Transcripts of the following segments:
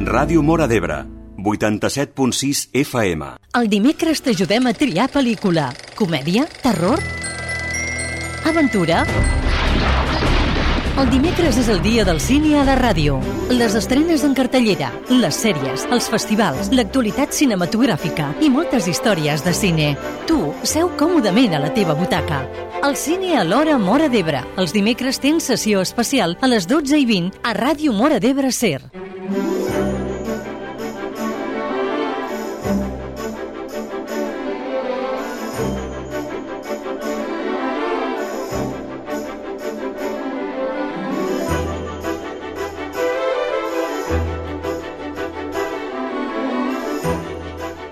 Ràdio Móra d'Ebre, 87.6 FM. El dimecres t'ajudem a triar pel·lícula. Comèdia? Terror? Aventura? El dimecres és el dia del cine a la ràdio. Les estrenes en cartellera, les sèries, els festivals, l'actualitat cinematogràfica i moltes històries de cine. Tu, seu còmodament a la teva butaca. El cine a l'hora Móra d'Ebre. Els dimecres tens sessió especial a les 12:20 a Ràdio Móra d'Ebre SER.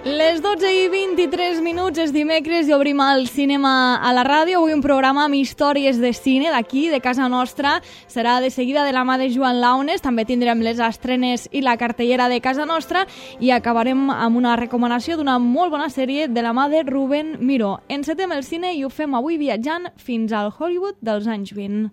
Les 12:23 és dimecres i obrim el cinema a la ràdio. Avui un programa amb històries de cine d'aquí, de casa nostra. Serà de seguida de la mà de Joan Launes. També tindrem les estrenes i la cartellera de casa nostra i acabarem amb una recomanació d'una molt bona sèrie de la mà de Rubén Miró. Encetem el cine i ho fem avui viatjant fins al Hollywood dels anys 20.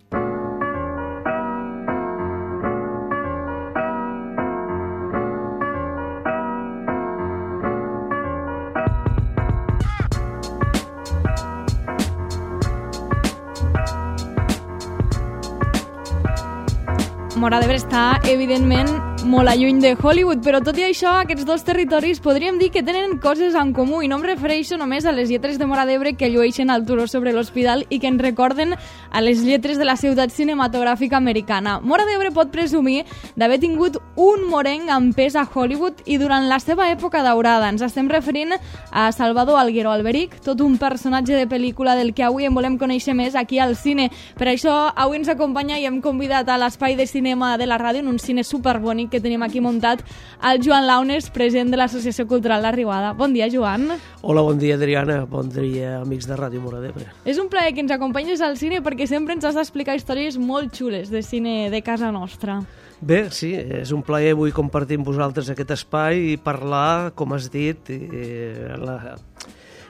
Móra d'Ebre està, evidentment, molt lluny de Hollywood, però tot i això, aquests dos territoris podríem dir que tenen coses en comú, i no em refereixo només a les lletres de Móra d'Ebre que llueixen al turó sobre l'hospital i que ens recorden a les lletres de la ciutat cinematogràfica americana. Móra d'Ebre pot presumir d'haver tingut un morenc amb pes a Hollywood i durant la seva època daurada. Ens estem referint a Salvador Alguero Alberic, tot un personatge de pel·lícula del que avui en volem conèixer més aquí al cine. Per això, avui ens acompanya i hem convidat a l'espai de cinema de la ràdio, en un cine superbonic que tenim aquí muntat, el Joan Launes, president de l'Associació Cultural La Riuada. Bon dia, Joan. Hola, bon dia, Adriana. Bon dia, amics de Ràdio Móra d'Ebre. És un plaer que ens acompanyes al cine perquè sempre ens has d'explicar històries molt xules de cine de casa nostra. Bé, sí, és un plaer avui compartir amb vosaltres aquest espai i parlar, com has dit,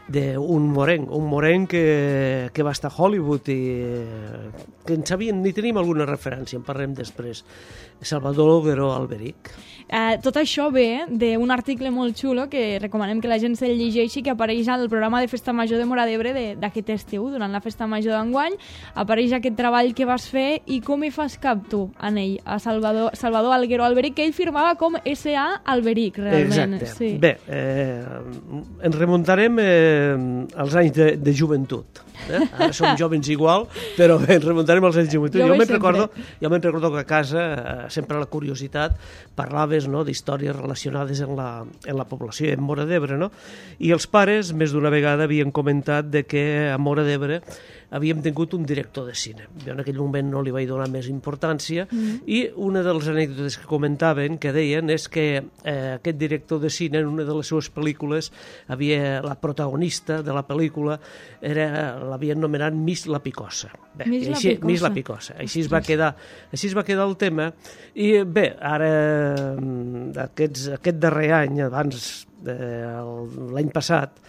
d'un morenc que va estar a Hollywood i que en sabíem, ni tenim alguna referència, en parlem després. Salvador Alguero Alberic. Tot això ve d'un article molt xulo que recomanem que la gent se'l llegeixi, que apareix al programa de Festa Major de Móra d'Ebre d'aquest estiu, durant la Festa Major d'enguany. Apareix aquest treball que vas fer i com hi fas cap tu en ell, a Salvador Alguero Alberic, que ell firmava com S.A. Alberic, realment. Exacte. Sí. Bé, ens remuntarem als anys de joventut. Ara som jovens igual, però ens remuntarem als anys de joventut. Jo me'n recordo que a casa, sempre la curiositat, parlaves, no, d'històries relacionades amb la població, en Móra d'Ebre, no? I els pares, més d'una vegada, havien comentat de que a Móra d'Ebre havíem tingut un director de cine. Jo en aquell moment no li vaig donar més importància i una de les anècdotes que comentaven, que deien, és que aquest director de cine, en una de les seues pel·lícules, la protagonista de la pel·lícula l'havien anomenat Miss La Picosa. Bé, Miss La Picosa. Així es va quedar el tema. I bé, ara, aquest darrer any, abans l'any passat,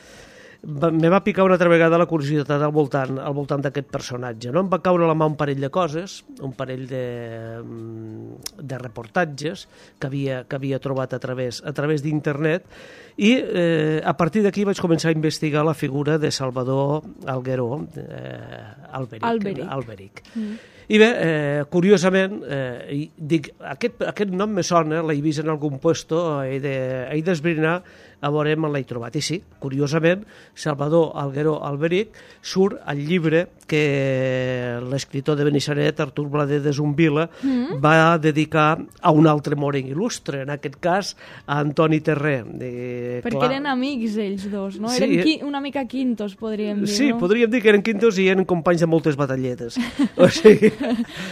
me va picar una altra vegada la curiositat al voltant d'aquest personatge. No? Em va caure a la mà un parell de coses, un parell de reportatges que havia trobat a través d'internet i a partir d'aquí vaig començar a investigar la figura de Salvador Alguero Alberic. I bé, curiosament, dic, aquest nom me sona, l'he vist en algun puesto, he d'esbrinar a veure on l'he trobat. I sí, curiosament, Salvador Alguero Alberic surt al llibre que l'escriptor de Benissanet, Artur Blader de Zumbila, va dedicar a un altre morenc il·lustre, en aquest cas a Antoni Terré. Perquè eren amics ells dos, no? Eren una mica quintos, podríem dir, no? Sí, podríem dir que eren quintos i eren companys de moltes batalletes. O sigui,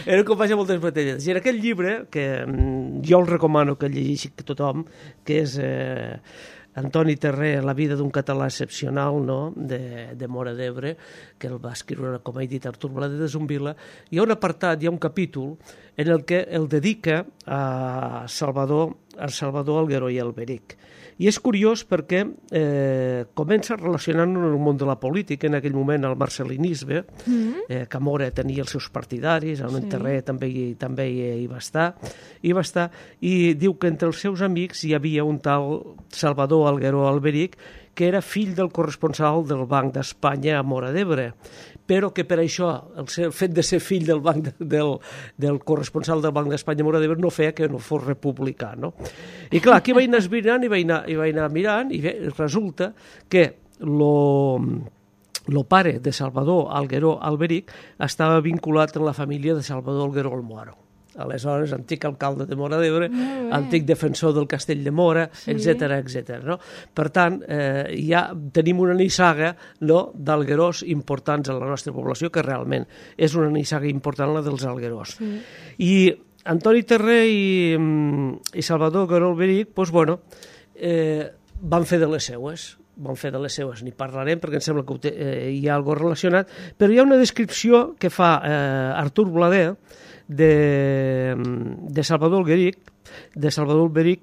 eren companys de moltes batalletes. I en aquest llibre, que jo el recomano que llegeixi tothom, que és Antoni Terré, La vida d'un català excepcional, no?, de Móra d'Ebre, que el va escriure, com he dit, Artur Blader de Zumbila. Hi ha un apartat, hi ha un capítol en el que el dedica a Salvador el Salvador Algueró i Alberic. I és curiós perquè comença relacionant-ho en el món de la política, en aquell moment el marcelinisme, que Mora tenia els seus partidaris, el Terré també hi va estar, i diu que entre els seus amics hi havia un tal Salvador Algueró Alberic, que era fill del corresponsal del Banc d'Espanya a Móra d'Ebre, però que per això el fet de ser fill del corresponsal del Banc d'Espanya a Móra d'Ebre no feia que no fos republicà, no? I clar, aquí vaig anar esbrinant i vaig anar mirant, i bé, resulta que el pare de Salvador Algueró Alberic estava vinculat en la família de Salvador Algueró Almoharo. Aleshores, antic alcalde de Móra d'Ebre, antic defensor del castell de Móra, etc. No? Per tant, ja tenim una nissaga d'alguerós importants a la nostra població, que realment és una nissaga important la dels alguerós. I Antoni Terré i Salvador Algueró Alberic, doncs, bueno, van fer de les seues, n'hi parlarem perquè em sembla que hi ha alguna cosa relacionat, però hi ha una descripció que fa Artur Blader de Salvador Alberic,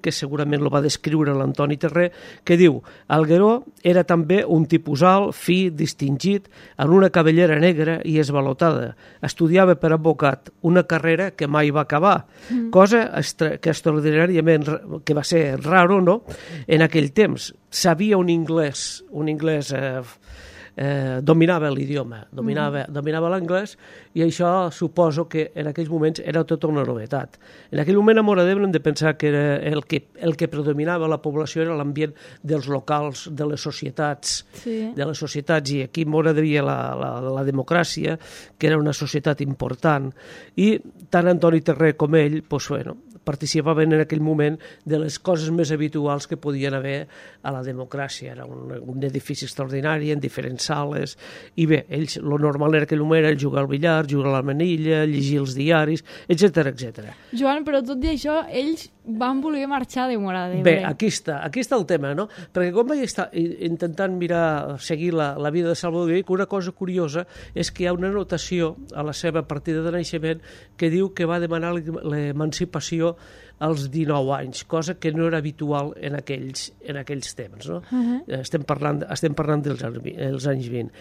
que segurament el va descriure l'Antoni Terré, que diu: Algueró era també un tipus alt, fi, distingit, en una cabellera negra i esvalotada. Estudiava per advocat, una carrera que mai va acabar, cosa que extraordinàriament que va ser raro, no?, en aquell temps. Sabia un anglès dominava l'idioma, dominava l'anglès, i això suposo que en aquells moments era tota una novetat. En aquell moment a Móra d'Ebre hem de pensar que el que predominava la població era l'ambient dels locals, de les societats, i aquí a Móra hi havia la democràcia, que era una societat important, i tant Antoni Terré com ell, doncs, bueno, participaven en aquell moment de les coses més habituals que podien haver a la democràcia. Era un edifici extraordinari, en diferents sales, i bé, ells, lo normal en aquell moment era jugar al billar, jugar a la manilla, llegir els diaris, etc. Joan, però tot i això, ells van voler marxar de Móra d'Ebre. Bé, aquí està el tema, no? Perquè quan vaig estar intentant seguir la vida de Salvador Alberic, una cosa curiosa és que hi ha una anotació a la seva partida de naixement que diu que va demanar l'emancipació als 19 anys, cosa que no era habitual en aquells temps, no? Estem parlant dels anys 20.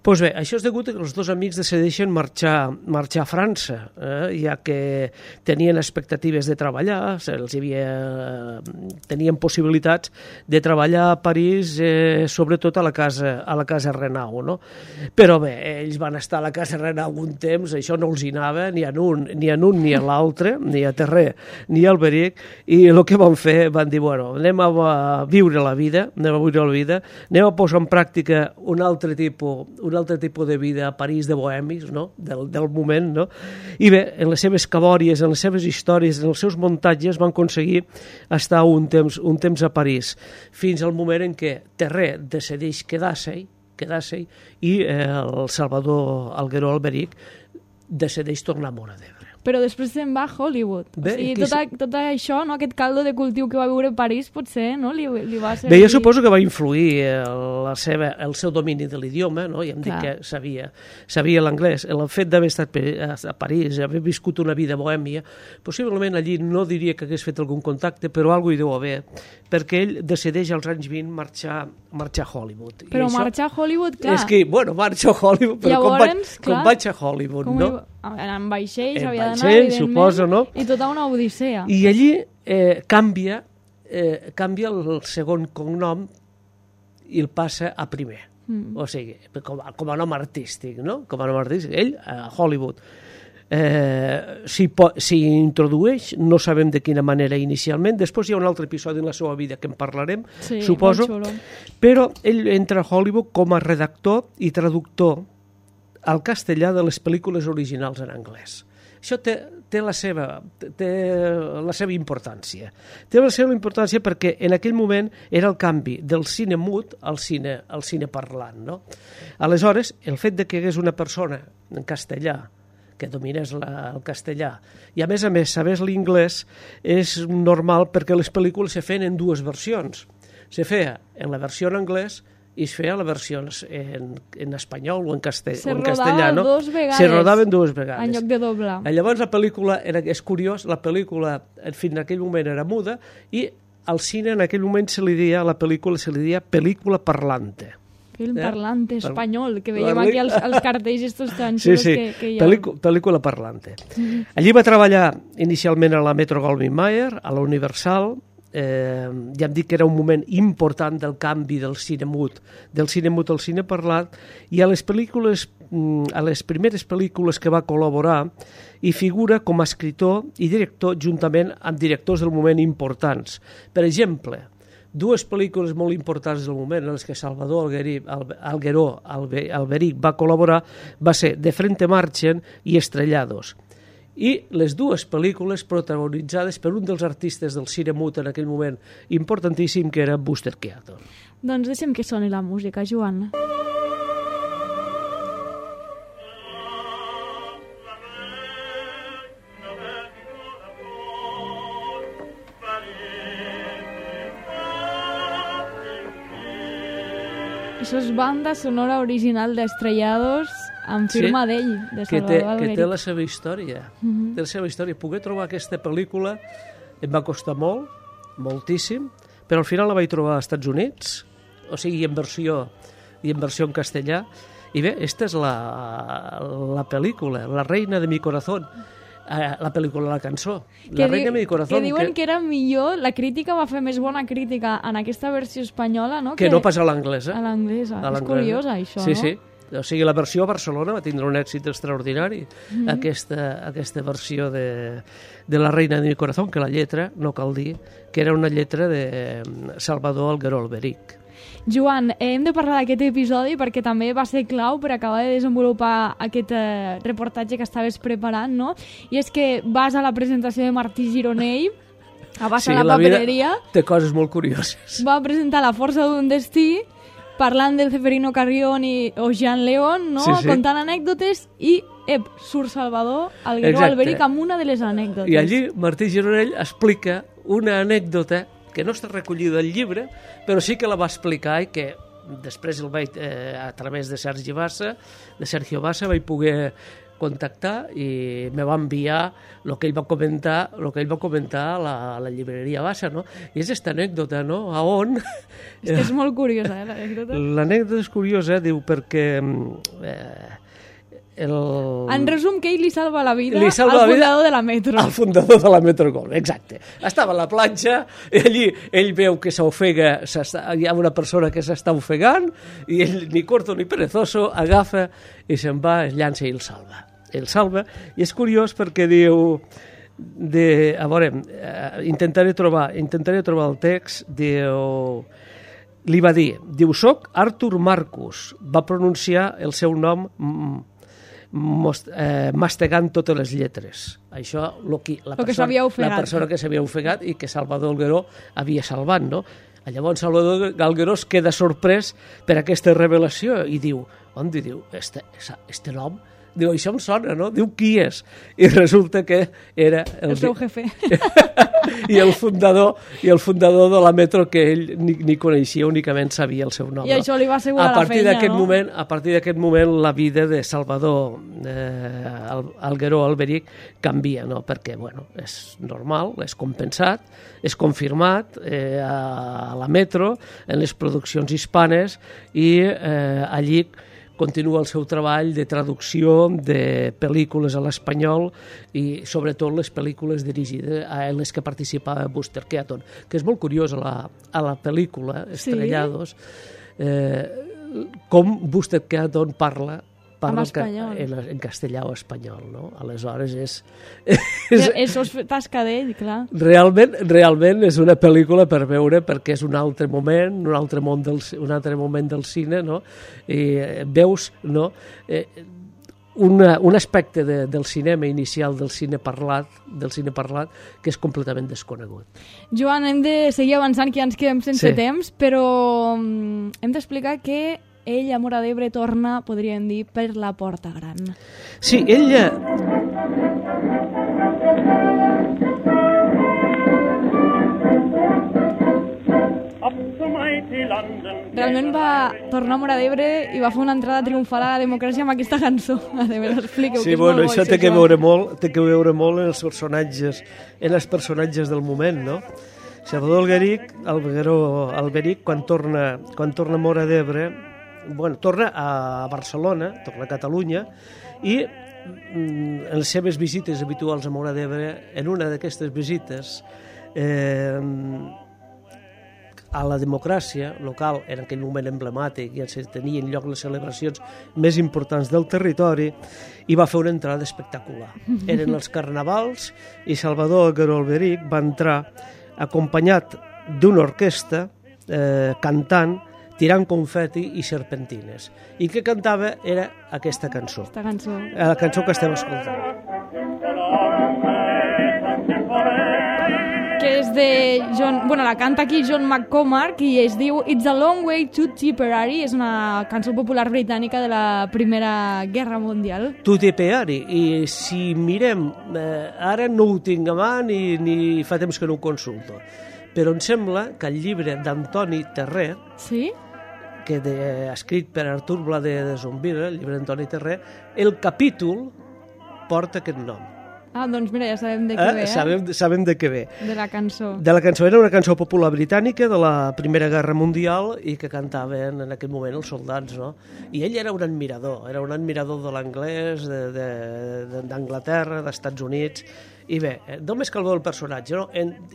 Doncs bé, això és degut a que els dos amics decideixen marxar a França, ja que tenien expectatives de treballar, tenien possibilitats de treballar a París, sobretot a la casa Renau, no? Però bé, ells van estar a la casa Renau un temps, això no els hi anava ni a un ni a l'altre, ni a Terré ni a Alberic, i el que van fer, van dir, bueno, anem a viure la vida, anem a posar en pràctica un altre tipus de vida a París, de bohemis, no?, del moment, no? I bé, en les seves cabòries, en les seves històries, en els seus muntatges, van aconseguir estar un temps a París, fins al moment en què Terré decideix quedar-se i el Salvador Algueró Alberic decideix tornar a Móra d'Ebre. Però després se'n va a Hollywood. Bé, o sigui, tot això, no, aquest caldo de cultiu que va viure a París, potser, no, li va servir... Bé, jo suposo que va influir el seu domini de l'idioma, no? Ja hem dit que sabia l'anglès. El fet d'haver estat a París, haver viscut una vida bohèmia, possiblement allí no diria que hagués fet algun contacte, però alguna cosa hi deu haver, perquè ell decideix als anys 20 marxar a Hollywood. Però marxar a Hollywood, clar... És que, bueno, marxo a Hollywood, però com vaig a Hollywood, no? En vaixells havia d'anar, evidentment, suposo, no? I tota una odissea. I allí canvia el segon cognom i el passa a primer. O sigui, com a nom artístic, no? Com a nom artístic. Ell, a Hollywood. S'hi introdueix, no sabem de quina manera inicialment, després hi ha un altre episodi en la seva vida que en parlarem, suposo, però ell entra a Hollywood com a redactor i traductor al castellà de les pel·lícules originals en anglès. Això té la seva importància. Té la seva importància perquè en aquell moment era el canvi del cine mut al cine parlant, no? Aleshores, el fet de que hi hagués una persona en castellà que dominés el castellà i a més sabés l'inglès és normal perquè les pel·lícules se feien en dues versions. Se feia en la versió en anglès i es feia la versió en espanyol o en castellà. Se rodava dos vegades. Se rodaven dues vegades. En lloc de doblar. Llavors la pel·lícula, és curiós, la pel·lícula fins en aquell moment era muda i al cine en aquell moment a la pel·lícula se li deia pel·lícula parlante. Film parlante espanyol, que veiem aquí els cartells estos tan xulos que hi ha. Pel·lícula parlante. Allí va treballar inicialment a la Metro-Goldwyn-Mayer, a la Universal. Ja hem dit que era un moment important del canvi del cine mut al cine parlat, i a les primeres pel·lícules que va col·laborar hi figura com a escriptor i director juntament amb directors del moment importants. Per exemple, dues pel·lícules molt importants del moment en les que Salvador Algueró Alberic va col·laborar va ser De Frente Marchen i Estrellados. I les dues pel·lícules protagonitzades per un dels artistes del cine mut en aquell moment importantíssim, que era Buster Keaton. Doncs deixem que soni la música, Joan. Això és banda sonora original d'Estrellados amb firma d'ell, de Salvador Alberic. Que té la seva història. Té la seva història. Poder trobar aquesta pel·lícula em va costar molt, moltíssim, però al final la vaig trobar als Estats Units, o sigui, en versió en castellà. I bé, aquesta és la pel·lícula, La reina de mi corazón. La pel·lícula, la cançó, La reina de mi corazón. Que diuen que era millor, la crítica va fer més bona crítica en aquesta versió espanyola, no? Que no pas a l'anglesa. A l'anglesa. És curiós, això, sí, no? Sí. O sigui, la versió a Barcelona va tindre un èxit extraordinari, aquesta versió de La reina de mi corazón, que la lletra, no cal dir, que era una lletra de Salvador Algueró Alberic. Joan, hem de parlar d'aquest episodi perquè també va ser clau per acabar de desenvolupar aquest reportatge que estaves preparant, no? I és que vas a la presentació de Martí Gironell, vas a la papereria... Té coses molt curioses. Va presentar La força d'un destí, parlant del Ceferino Carrión o Jean León, no? Sí. Contant anècdotes i surt Salvador Algueró Alberic amb una de les anècdotes. I allí Martí Gironell explica una anècdota que no està recollida al llibre, però sí que la va explicar i que després el vaig, a través de Sergio Bassa, vaig poder contactar i me va enviar el que ell va comentar a la llibreria Bassa, no? I és aquesta anècdota, no? A on... És molt curiosa, l'anècdota. L'anècdota és curiosa, diu, perquè... En resum, que ell li salva la vida al fundador de la Metro. Al fundador de la Metro Gold, exacte. Estava a la platja, allí ell veu que s'ofega, hi ha una persona que s'està ofegant, i ell, ni corto ni perezoso, agafa i se'n va, es llança i el salva. El salva, i és curiós perquè diu... a veure, intentaré trobar el text, diu... Li va dir, soc Artur Marcus, va pronunciar el seu nom mastegant totes les lletres. Això la persona que s'havia ofegat i que Salvador Algueró havia salvat, no? Llavors Salvador Algueró es queda sorprès per aquesta revelació i diu, on diu, este nom? Diu, això em sona, no? Diu, qui és? I resulta que era... El seu jefe. I el fundador de la Metro, que ell ni coneixia, únicament sabia el seu nom. I això li va assegurar la feina, no? A partir d'aquest moment, la vida de Salvador Algueró Alberic canvia, no? Perquè, bueno, és normal, és compensat, és confirmat a la Metro, en les produccions hispanes, i allí continua el seu treball de traducció de pel·lícules a l'espanyol i sobretot les pel·lícules dirigides en les que participava Buster Keaton, que és molt curiós a la pel·lícula Estrellados, com Buster Keaton parla en castellà o espanyol, no? Aleshores Això és tasca d'ell, clar. Realment és una pel·lícula per veure, perquè és un altre moment del cine, no? I veus, no? Un aspecte del cinema inicial, del cine parlat, que és completament desconegut. Joan, hem de seguir avançant, que ja ens quedem sense temps, però hem d'explicar que ell a Móra d'Ebre torna, podríem dir, per la porta gran. Sí, ella... Up the mighty realment va tornar a Móra d'Ebre i va fer una entrada triomfal a la democràcia amb aquesta cançó. A veure, expliqueu, sí, que és bueno, molt això bo, té que veure molt en els personatges del moment, no? Salvador Alberic, quan torna a Móra d'Ebre, bueno, torna a Barcelona, torna a Catalunya, i en les seves visites habituals a Móra d'Ebre, en una d'aquestes visites a la democràcia local, en aquell moment emblemàtic, ja se tenien lloc les celebracions més importants del territori, i va fer una entrada espectacular. Eren els carnavals i Salvador Alberic va entrar acompanyat d'una orquestra cantant, tirant confeti i serpentines. I que cantava era aquesta cançó. Aquesta cançó. La cançó que estem escoltant. Que és de John... Bueno, la canta aquí John McCormack i es diu It's a Long Way to Tipperary. És una cançó popular britànica de la Primera Guerra Mundial. To Tipperary. I si mirem, ara no ho tinc a mà ni fa temps que no ho consulto, però em sembla que el llibre d'Antoni Terrer, sí? que escrit per Artur Bladé de Zombira, el llibre d'Antoni Terrer, el capítol porta aquest nom. Ah, doncs mira, ja sabem de què ve, Sabem de què ve. De la cançó. De la cançó. Era una cançó popular britànica de la Primera Guerra Mundial i que cantaven en aquell moment els soldats, no? I ell era un admirador de l'anglès, d'Anglaterra, d'Estats Units. I bé, només cal veure el personatge, no?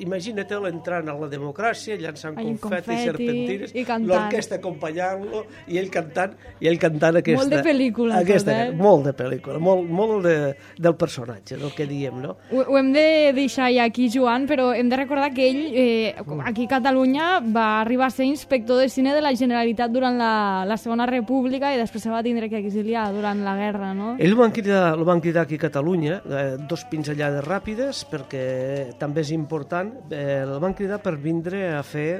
Imagina-te'l entrant a la democràcia, llançant confeti i serpentines, l'orquestra acompanyant-lo i ell cantant aquesta... Molt de pel·lícula, molt de pel·lícula, molt del personatge, del que diem, no? Ho hem de deixar ja aquí, Joan, però hem de recordar que ell, aquí a Catalunya, va arribar a ser inspector de cine de la Generalitat durant la Segona República i després se va tindre que exiliar durant la guerra, no? Ell lo van cridar aquí a Catalunya, dos pinzellades ràpides, perquè també és important, el van cridar per vindre a fer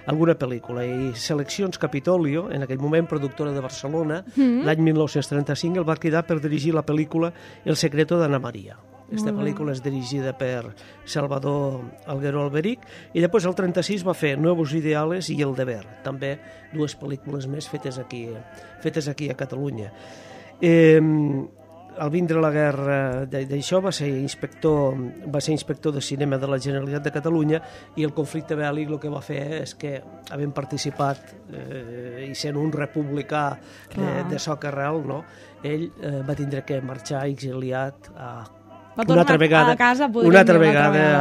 alguna pel·lícula, i Seleccions Capitolio, en aquell moment productora de Barcelona, l'any 1935, el va cridar per dirigir la pel·lícula El secreto d'Anna Maria. Aquesta pel·lícula és dirigida per Salvador Alberic, i després el 36 va fer Nuevos Ideales i El deber, també dues pel·lícules més fetes aquí a Catalunya. Al vindre la guerra d'això va ser inspector de cinema de la Generalitat de Catalunya, i el conflicte bèl·lic el que va fer és que, havent participat i sent un republicà de soca arrel, no? Ell va tindre que marxar exiliat una altra vegada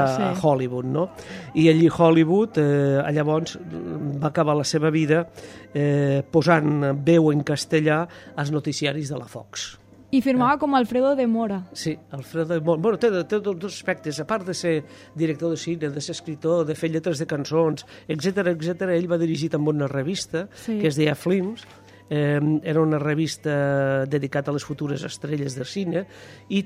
a Hollywood, no? I allí a Hollywood llavors va acabar la seva vida posant veu en castellà als noticiaris de la Fox. I firmava com Alfredo de Mora. Sí, Alfredo de Mora. Bueno, té dos aspectes. A part de ser director de cine, de ser escritor, de fer lletres de cançons, etc., ell va dirigir també una revista que es deia Films. Era una revista dedicada a les futures estrelles de cine, i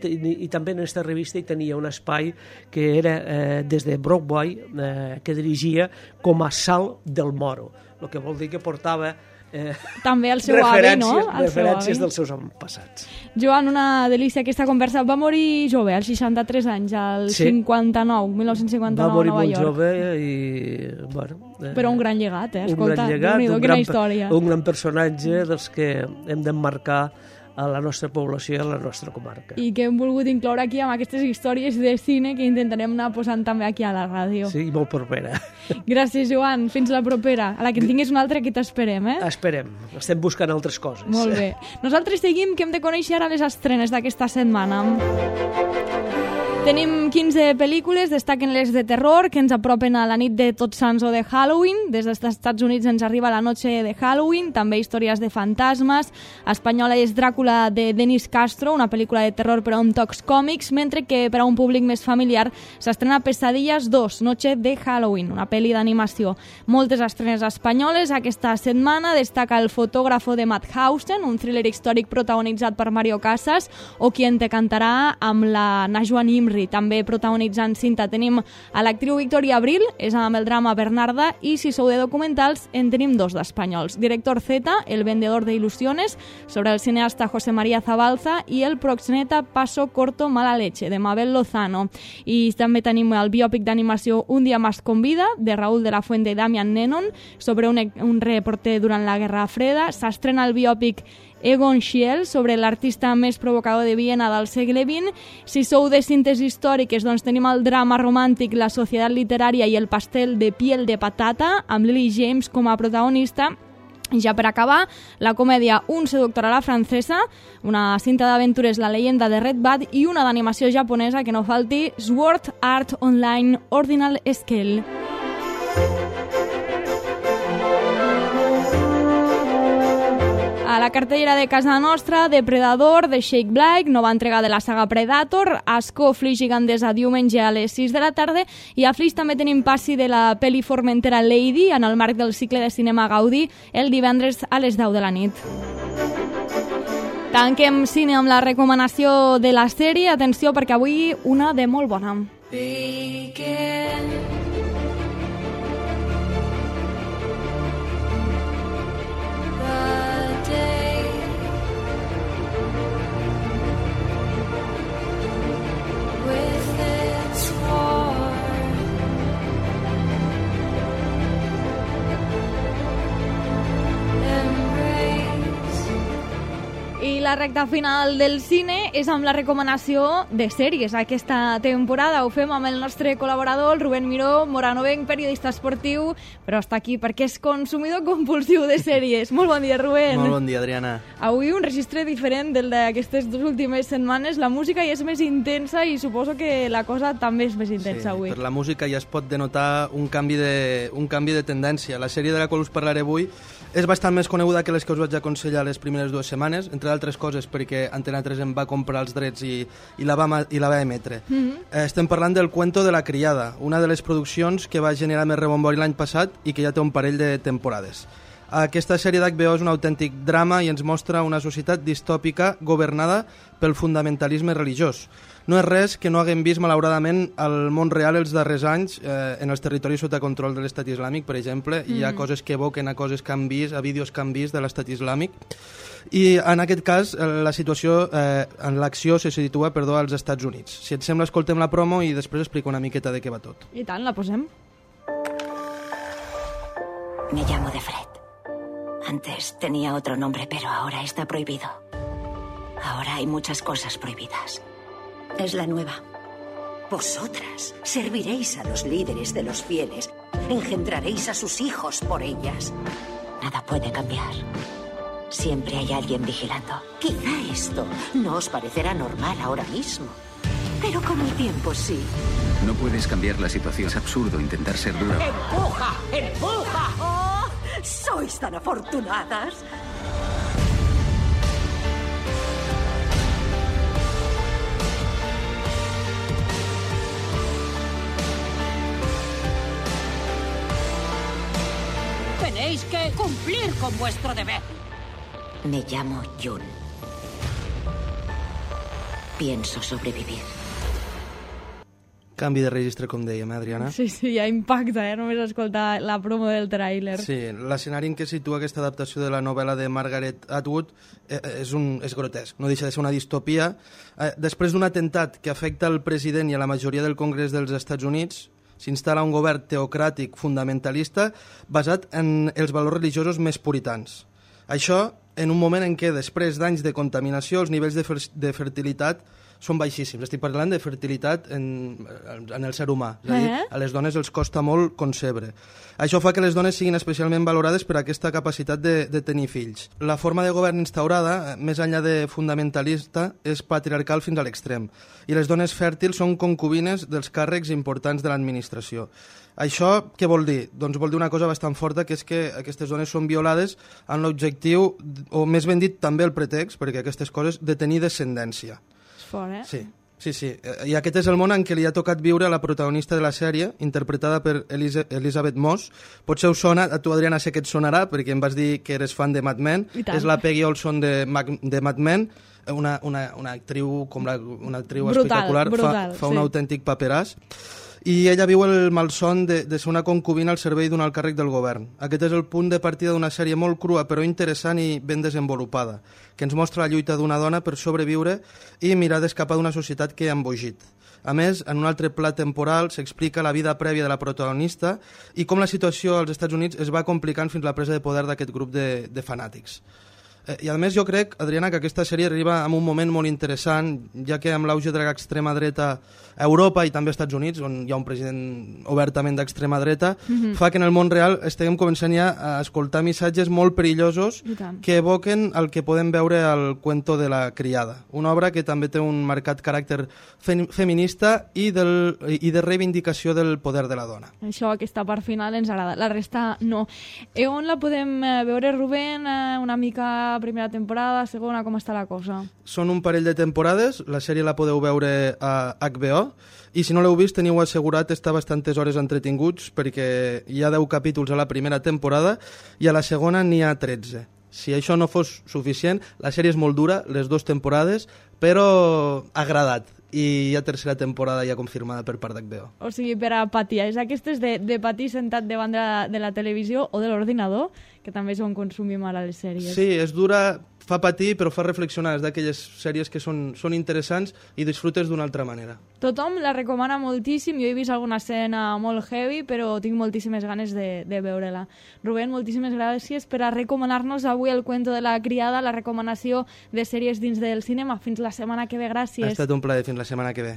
també en aquesta revista hi tenia un espai que era des de Broadway, que dirigia com a Sal del Moro, el que vol dir que portava també el seu avi, no? Referències dels seus passats. Joan, una delícia aquesta conversa. Va morir jove, als 63 anys, al 1959 va morir a Nova York. molt jove i... Bueno, però un gran llegat, Escolta, quina història. Un gran personatge dels que hem d'emmarcar a la nostra població i a la nostra comarca. I que hem volgut incloure aquí amb aquestes històries de cine que intentarem anar posant també aquí a la ràdio. Sí, molt propera. Gràcies, Joan. Fins la propera. A la que en tinguis una altra, que t'esperem, Esperem. Estem buscant altres coses. Molt bé. Nosaltres seguim, que hem de conèixer ara les estrenes d'aquesta setmana. Tenim 15 pel·lícules, destaquen les de terror, que ens apropen a la nit de Tots Sants o de Halloween. Des dels Estats Units ens arriba La noche de Halloween, també històries de fantasmes. Espanyola és Dràcula, de Denis Castro, una pel·lícula de terror però amb tocs còmics, mentre que per a un públic més familiar s'estrena Pesadillas 2, Noche de Halloween, una pel·li d'animació. Moltes estrenes espanyoles aquesta setmana. Destaca El fotògrafo de Mauthausen, un thriller històric protagonitzat per Mario Casas, o Quien te cantarà, amb la Najwa Nimri, Henry. També protagonitzant cinta tenim a l'actriu Victoria Abril, és amb el drama Bernarda, i si sou de documentals en tenim dos d'espanyols. Director Z, El vendedor de ilusiones, sobre el cineasta José María Zabalza, i el proxeneta Paso corto mala leche, de Mabel Lozano. I també tenim el biòpic d'animació Un dia más con vida, de Raúl de la Fuente i Damian Nennon, sobre un reporter durant la Guerra Freda. S'estrena el biòpic Egon Schiele, sobre l'artista més provocador de Viena del segle XX. Si sou de cintes històriques, doncs tenim el drama romàntic La societat literària i el pastel de piel de patata, amb Lily James com a protagonista. I ja per acabar, la comèdia Un seductor a la francesa, una cinta d'aventures La leyenda de Red Bud i una d'animació japonesa que no falti, Sword Art Online Ordinal Scale. A la cartellera de casa nostra, Depredador, de Shake Blake, nova entrega de la saga Predator, Asco, Flix Gigandesa, diumenge a les 6 de la tarda, i a Flix també tenim passi de la pel·li Formentera Lady, en el marc del cicle de cinema Gaudí, el divendres a les 10 de la nit. Tanquem cine amb la recomanació de la sèrie. Atenció, perquè avui una de molt bona. Begin. I la recta final del cine és amb la recomanació de sèries. Aquesta temporada ho fem amb el nostre col·laborador, el Rubén Miró, moranovenc, periodista esportiu, però està aquí perquè és consumidor compulsiu de sèries. Molt bon dia, Rubén. Molt bon dia, Adriana. Avui un registre diferent del d'aquestes dues últimes setmanes. La música ja és més intensa i suposo que la cosa també és més intensa avui. Per la música ja es pot denotar un canvi de tendència. La sèrie de la qual us parlaré avui és bastant més coneguda que les que us vaig aconsellar les primeres 2 setmanes, entre d'altres coses perquè Antena 3 em va comprar els drets i la va emetre. Estem parlant del Cuento de la criada, una de les produccions que va generar més rebombori l'any passat i que ja té un parell de temporades. Aquesta sèrie d'HBO és un autèntic drama i ens mostra una societat distòpica governada pel fundamentalisme religiós. No és res que no haguem vist, malauradament, al món real els darrers anys, en els territoris sota control de l'estat islàmic, per exemple. Hi ha coses que evoquen a coses que han vist, a vídeos que han vist de l'estat islàmic. I en aquest cas, la situació, en l'acció se situa, als Estats Units. Si et sembla, escoltem la promo i després explico una miqueta de què va tot. I tant, la posem. Me llamo de Fred. Antes tenía otro nombre, pero ahora está prohibido. Ahora hay muchas cosas prohibidas. Es la nueva. Vosotras serviréis a los líderes de los fieles, engendraréis a sus hijos por ellas. Nada puede cambiar. Siempre hay alguien vigilando. Quizá esto no os parecerá normal ahora mismo, pero con el tiempo sí. No puedes cambiar la situación. Es absurdo intentar ser dura. ¡Empuja! ¡Empuja! ¡Oh! ¡Sois tan afortunadas! Tenéis que cumplir con vuestro deber. Me llamo June. Pienso sobrevivir. Canvi de registre, com dèiem, Adriana? Sí, ja impacta, només escoltar la promo del tràiler. Sí, l'escenari en què situa aquesta adaptació de la novel·la de Margaret Atwood és grotesc, no deixa de ser una distopia. Després d'un atemptat que afecta el president i a la majoria del Congrés dels Estats Units, s'instal·la un govern teocràtic fundamentalista basat en els valors religiosos més puritans. Això en un moment en què, després d'anys de contaminació, els nivells de fertilitat són baixíssims. Estic parlant de fertilitat en el ser humà. És a dir, a les dones els costa molt concebre. Això fa que les dones siguin especialment valorades per aquesta capacitat de tenir fills. La forma de govern instaurada, més enllà de fundamentalista, és patriarcal fins a l'extrem. I les dones fèrtils són concubines dels càrrecs importants de l'administració. Això què vol dir? Doncs vol dir una cosa bastant forta, que és que aquestes dones són violades amb l'objectiu, o més ben dit també el pretext, perquè aquestes coses, de tenir descendència. Fort, Sí. Sí, sí, i aquest és el món en què li ha tocat viure a la protagonista de la sèrie, interpretada per Elizabeth Moss. Potser us sona, a tu, Adriana, sé que et sonarà, perquè em vas dir que eres fan de Mad Men. És la Peggy Olson de Mad Men, una actriu, una actriu espectacular, fa un autèntic paperàs. I ella viu el malson de ser una concubina al servei d'un alt càrrec del govern. Aquest és el punt de partida d'una sèrie molt crua, però interessant i ben desenvolupada, que ens mostra la lluita d'una dona per sobreviure i mirar d'escapar d'una societat que ha embogit. A més, en un altre pla temporal s'explica la vida prèvia de la protagonista i com la situació als Estats Units es va complicant fins a la presa de poder d'aquest grup de fanàtics. I a més jo crec, Adriana, que aquesta sèrie arriba en un moment molt interessant, ja que amb l'auge de l'extrema dreta a Europa i també als Estats Units, on hi ha un president obertament d'extrema dreta, fa que en el món real estiguem començant ja a escoltar missatges molt perillosos que evoquen el que podem veure al Cuento de la criada, una obra que també té un marcat caràcter feminista i de reivindicació del poder de la dona. Això, aquesta part final ens agrada, la resta no. On la podem veure, Rubén? Una mica primera temporada, segona, com està la cosa? Són un parell de temporades, la sèrie la podeu veure a HBO, i si no l'heu vist teniu assegurat estar bastantes hores entretinguts, perquè hi ha 10 capítols a la primera temporada i a la segona n'hi ha 13. Si això no fos suficient, la sèrie és molt dura, les 2 temporades, però ha agradat. I hi ha tercera temporada ja confirmada per part d'HBO. O sigui, per a patir. És aquestes de patir sentat davant de la televisió o de l'ordinador, que també és on consumim ara les sèries. Sí, és dura, fa patir, però fa reflexionar. És d'aquelles sèries que són interessants i disfrutes d'una altra manera. Tothom la recomana moltíssim. Jo he vist alguna escena molt heavy, però tinc moltíssimes ganes de veure-la. Rubén, moltíssimes gràcies per a recomanar-nos avui el Cuento de la criada, la recomanació de sèries dins del cinema. Fins la setmana que ve, gràcies. Ha estat un plaer, fins la setmana que ve.